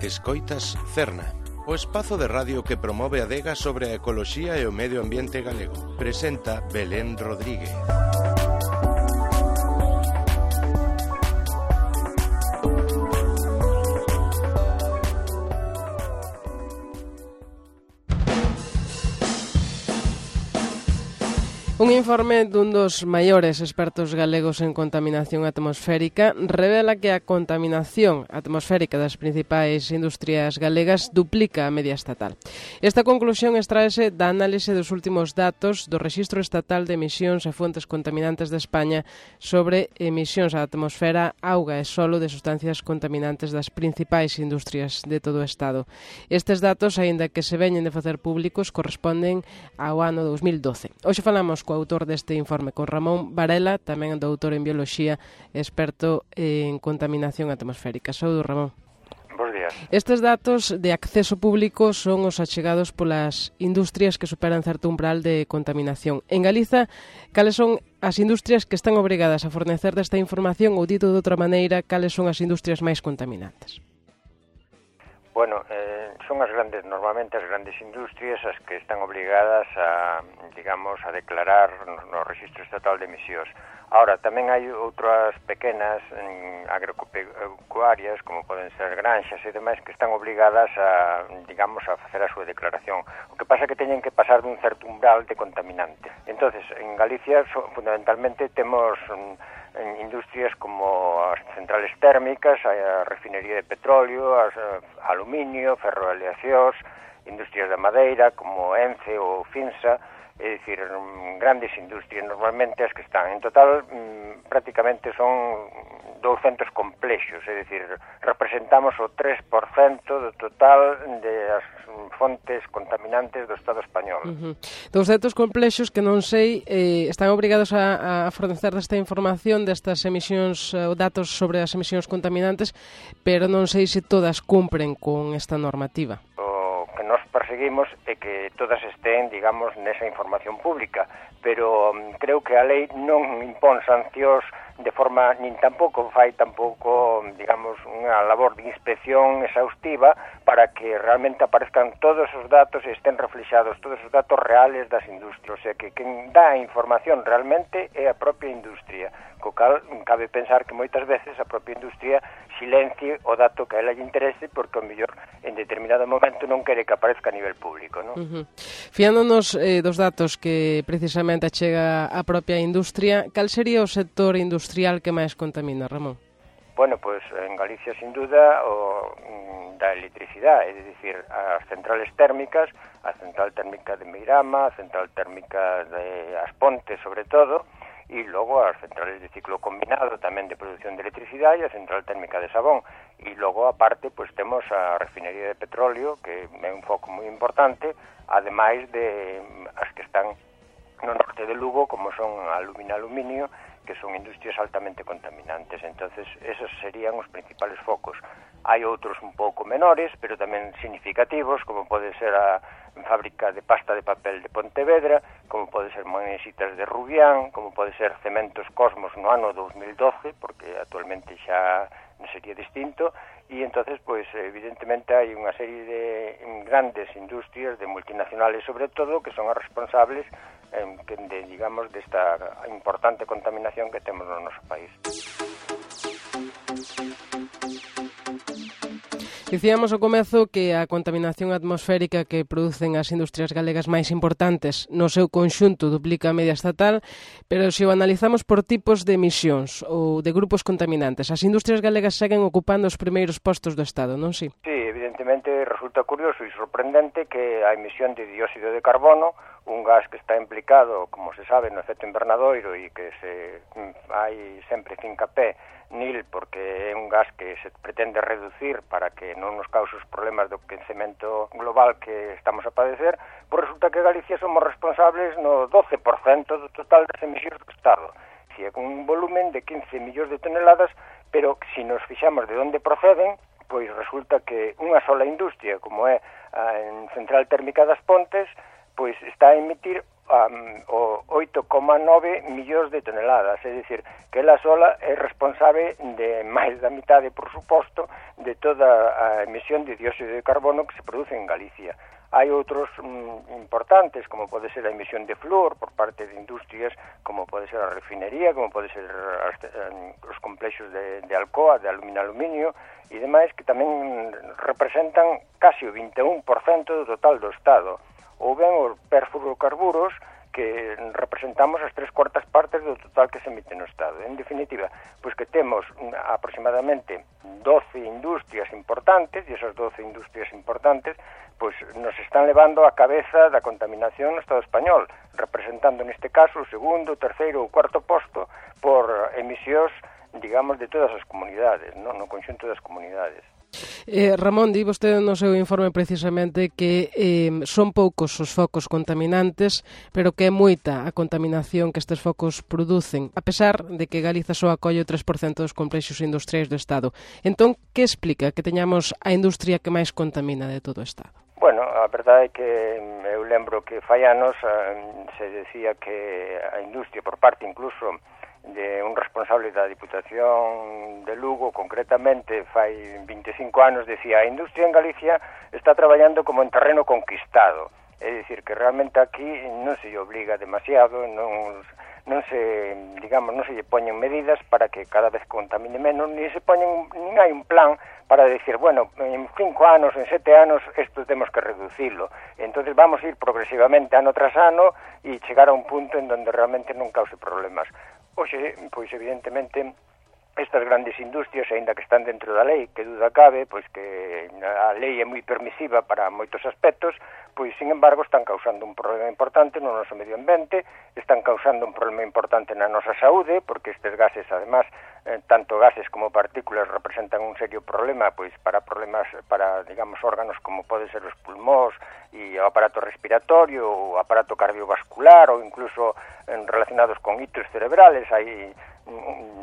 Escoitas Cerna, o espazo de radio que promove a adega sobre a ecoloxía e o medio ambiente galego. Presenta Belén Rodríguez. Un informe dun dos maiores expertos galegos en contaminación atmosférica revela que a contaminación atmosférica das principais industrias galegas duplica a media estatal. Esta conclusión extraese da análise dos últimos datos do Rexistro Estatal de Emisións e Fontes Contaminantes de España sobre emisións á atmosfera, auga e solo de sustancias contaminantes das principais industrias de todo o Estado. Estes datos, aínda que se veñen de facer públicos, corresponden ao ano 2012. Hoxe falamos co autor deste informe, con Ramón Varela, tamén doutor en Bioloxía, experto en contaminación atmosférica. Saúdo, Ramón. Bos días. Estes datos de acceso público son os achegados polas industrias que superan certo umbral de contaminación. En Galiza, cales son as industrias que están obrigadas a fornecer desta información ou, dito de outra maneira, cales son as industrias máis contaminantes? Bueno, son normalmente as grandes industrias as que están obligadas a, a declarar no Rexistro Estatal de Emisións. Ahora, tamén hai outras pequenas agropecuarias, como poden ser granxas e demais, que están obligadas a facer a súa declaración. O que pasa é que teñen que pasar dun certo umbral de contaminante. Entonces, en Galicia, fundamentalmente, temos industrias como as centrales térmicas, a refinería de petróleo, aluminio, ferroaleacións, industrias da madeira como Ence ou Finsa, é dicir, grandes industrias normalmente as que están. En total, prácticamente son 200 complexos, é dicir, representamos o 3% do total das fontes contaminantes do Estado español. 200 complexos que non sei, están obrigados a fornecer desta información, destas emisións, datos sobre as emisións contaminantes, pero non sei se todas cumpren con esta normativa. Nos perseguimos é que todas estén, nesa información pública, pero creo que a lei non impón sancións de forma, nin tampouco fai unha labor de inspección exhaustiva para que realmente aparezcan todos os datos e estén reflexados todos os datos reales das industrias. O sea, que quen dá a información realmente é a propia industria, co cal cabe pensar que moitas veces a propia industria silencie o dato que a ela lle interese porque, ao mellor, en determinado momento non quere que aparezca a nivel público, non? Fiándonos dos datos que precisamente achega a propia industria, cal sería o sector industrial que máis contamina, Ramón? Bueno, pois en Galicia, sin duda, o da electricidade, é dicir, as centrales térmicas, a central térmica de Meirama, a central térmica de As Pontes, sobre todo, e logo as centrales de ciclo combinado tamén de produción de electricidade e a central térmica de Sabón. E logo, aparte, pois temos a refinería de petróleo, que é un foco moi importante, ademais de as que están no norte de Lugo, como son aluminio, que son industrias altamente contaminantes. Entonces, esos serían os principales focos. Hai outros un pouco menores, pero tamén significativos, como pode ser a fábrica de pasta de papel de Pontevedra, como pode ser Magnesitas de Rubián, como pode ser Cementos Cosmos no ano 2012, porque actualmente xa sería distinto, e entonces, pois, evidentemente, hai unha serie de grandes industrias, de multinacionales sobre todo, que son as responsables desta importante contaminación que temos no noso país. Dicíamos ao comezo que a contaminación atmosférica que producen as industrias galegas máis importantes no seu conxunto duplica a media estatal, pero se o analizamos por tipos de emisións ou de grupos contaminantes, as industrias galegas seguen ocupando os primeiros postos do Estado, non si? Sí, evidentemente resulta curioso e sorprendente que a emisión de dióxido de carbono, un gas que está implicado, como se sabe, no efecto invernadoiro e que hai sempre fincapé nil porque é un gas que se pretende reducir para que non nos cause os problemas do quecemento global que estamos a padecer, pois resulta que Galicia somos responsables no 12% do total das emisións do Estado. Si é un volumen de 15 millóns de toneladas, pero se nos fixamos de onde proceden, pois resulta que unha sola industria, como é a Central Térmica das Pontes, pois está a emitir o 8,9 millóns de toneladas, é dicir, que ela sola é responsable de máis da mitade, por suposto, de toda a emisión de dióxido de carbono que se produce en Galicia. Hai outros importantes, como pode ser a emisión de flúor por parte de industrias, como pode ser a refinería, como pode ser os complexos de Alcoa, de aluminio e demais, que tamén representan casi o 21% do total do Estado. Ou ben os perfluorocarburos, que representamos as 3/4 partes do total que se emite no Estado. En definitiva, pois que temos aproximadamente 12 industrias importantes, e esas 12 industrias importantes pois nos están levando a cabeza da contaminación no Estado español, representando neste caso o segundo, terceiro ou cuarto posto por emisións, digamos, de todas as comunidades, no conxunto das comunidades. Ramón, di vostede no seu informe precisamente que son poucos os focos contaminantes, pero que é moita a contaminación que estes focos producen, a pesar de que Galiza só acolle o 3% dos complexos industriais do Estado. Entón, que explica que teñamos a industria que máis contamina de todo o Estado? Bueno, a verdade é que eu lembro que fai anos se decía que a industria, por parte incluso de un responsable da Diputación de Lugo, concretamente fai 25 anos, decía: a industria en Galicia está traballando como en terreno conquistado. É dicir, que realmente aquí non se lle obliga demasiado, non se lle poñen medidas para que cada vez contamine menos, nin hai un plan para decir, bueno, en 5 anos, en 7 anos, isto temos que reducirlo. Entonces vamos a ir progresivamente ano tras ano e chegar a un punto en donde realmente non cause problemas. Hoxe, pois evidentemente, estas grandes industrias, aínda que están dentro da lei, que duda cabe, pois que a lei é moi permisiva para moitos aspectos, pois, sin embargo, están causando un problema importante no noso medio ambiente, están causando un problema importante na nosa saúde, porque estes gases, además, tanto gases como partículas representan un serio problema, pois, para digamos, órganos como pode ser os pulmóns e o aparato respiratorio, o aparato cardiovascular, ou incluso relacionados con hitos cerebrales. Hai,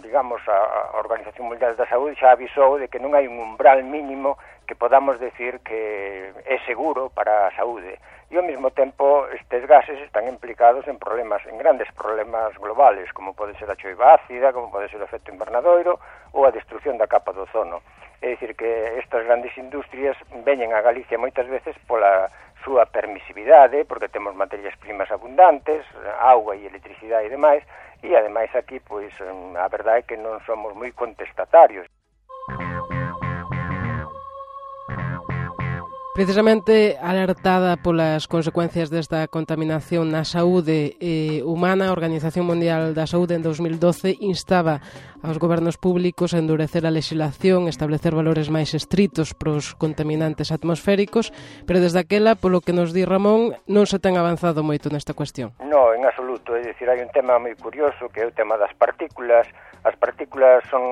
digamos, a Organización Mundial da Saúde xa avisou de que non hai un umbral mínimo que podamos decir que é seguro para a saúde. E ao mesmo tempo estes gases están implicados en grandes problemas globales, como pode ser a choiva ácida, como pode ser o efecto invernadoiro ou a destrucción da capa do ozono. É dicir, que estas grandes industrias veñen a Galicia moitas veces pola súa permisividade, porque temos materias primas abundantes, auga e electricidade e demais, e ademais aquí, pois, a verdade é que non somos moi contestatarios. Precisamente alertada polas consecuencias desta contaminación na saúde humana, a Organización Mundial da Saúde en 2012 instaba aos gobernos públicos a endurecer a legislación, establecer valores máis estritos pros contaminantes atmosféricos, pero desde aquela, polo que nos di Ramón, non se ten avanzado moito nesta cuestión. Non, en absoluto, é dicir, hai un tema moi curioso que é o tema das partículas. As partículas son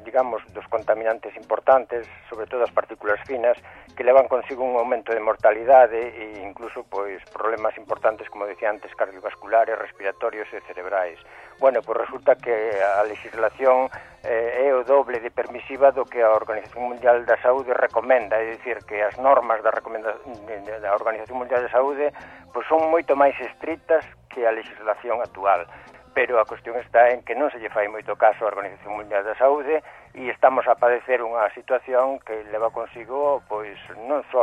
digamos, dos contaminantes importantes, sobre todo as partículas finas, que levan consigo un aumento de mortalidade e incluso pois problemas importantes, como decía antes, cardiovasculares, respiratorios e cerebrais. Bueno, pois resulta que a legislación é o doble de permisiva do que a Organización Mundial da Saúde recomenda, é dicir, que as normas da Organización Mundial da Saúde pois son moito máis estritas que a legislación actual. Pero a cuestión está en que non se lle fai moito caso á Organización Mundial da Saúde e estamos a padecer unha situación que leva consigo pois non só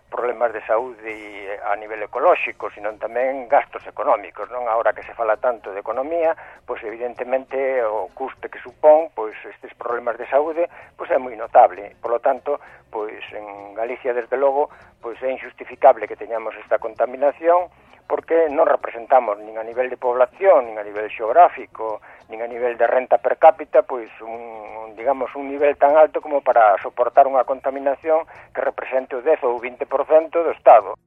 problemas de saúde a nivel ecolóxico, sino tamén gastos económicos, non? Agora que se fala tanto de economía, pois evidentemente o custe que supón pois estes problemas de saúde pois é moi notable. Por lo tanto, pois en Galicia desde logo pois é injustificable que teñamos esta contaminación, porque non representamos nin a nivel de población, nin a nivel xeográfico, nin a nivel de renta per cápita, pois un nivel tan alto como para soportar unha contaminación que represente o 10 ou 20% do Estado.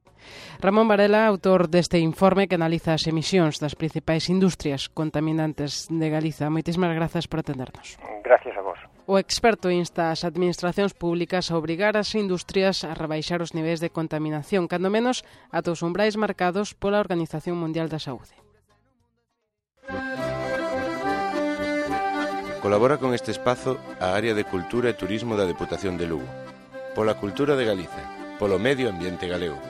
Ramón Varela, autor deste informe que analiza as emisións das principais industrias contaminantes de Galiza. Moitísimas grazas por atendernos. Gracias a vos. O experto insta as administracións públicas a obrigar as industrias a rebaixar os niveis de contaminación, cando menos ata os umbrais marcados pola Organización Mundial da Saúde. Colabora con este espazo a Área de Cultura e Turismo da Deputación de Lugo. Pola cultura de Galiza, polo medio ambiente galego.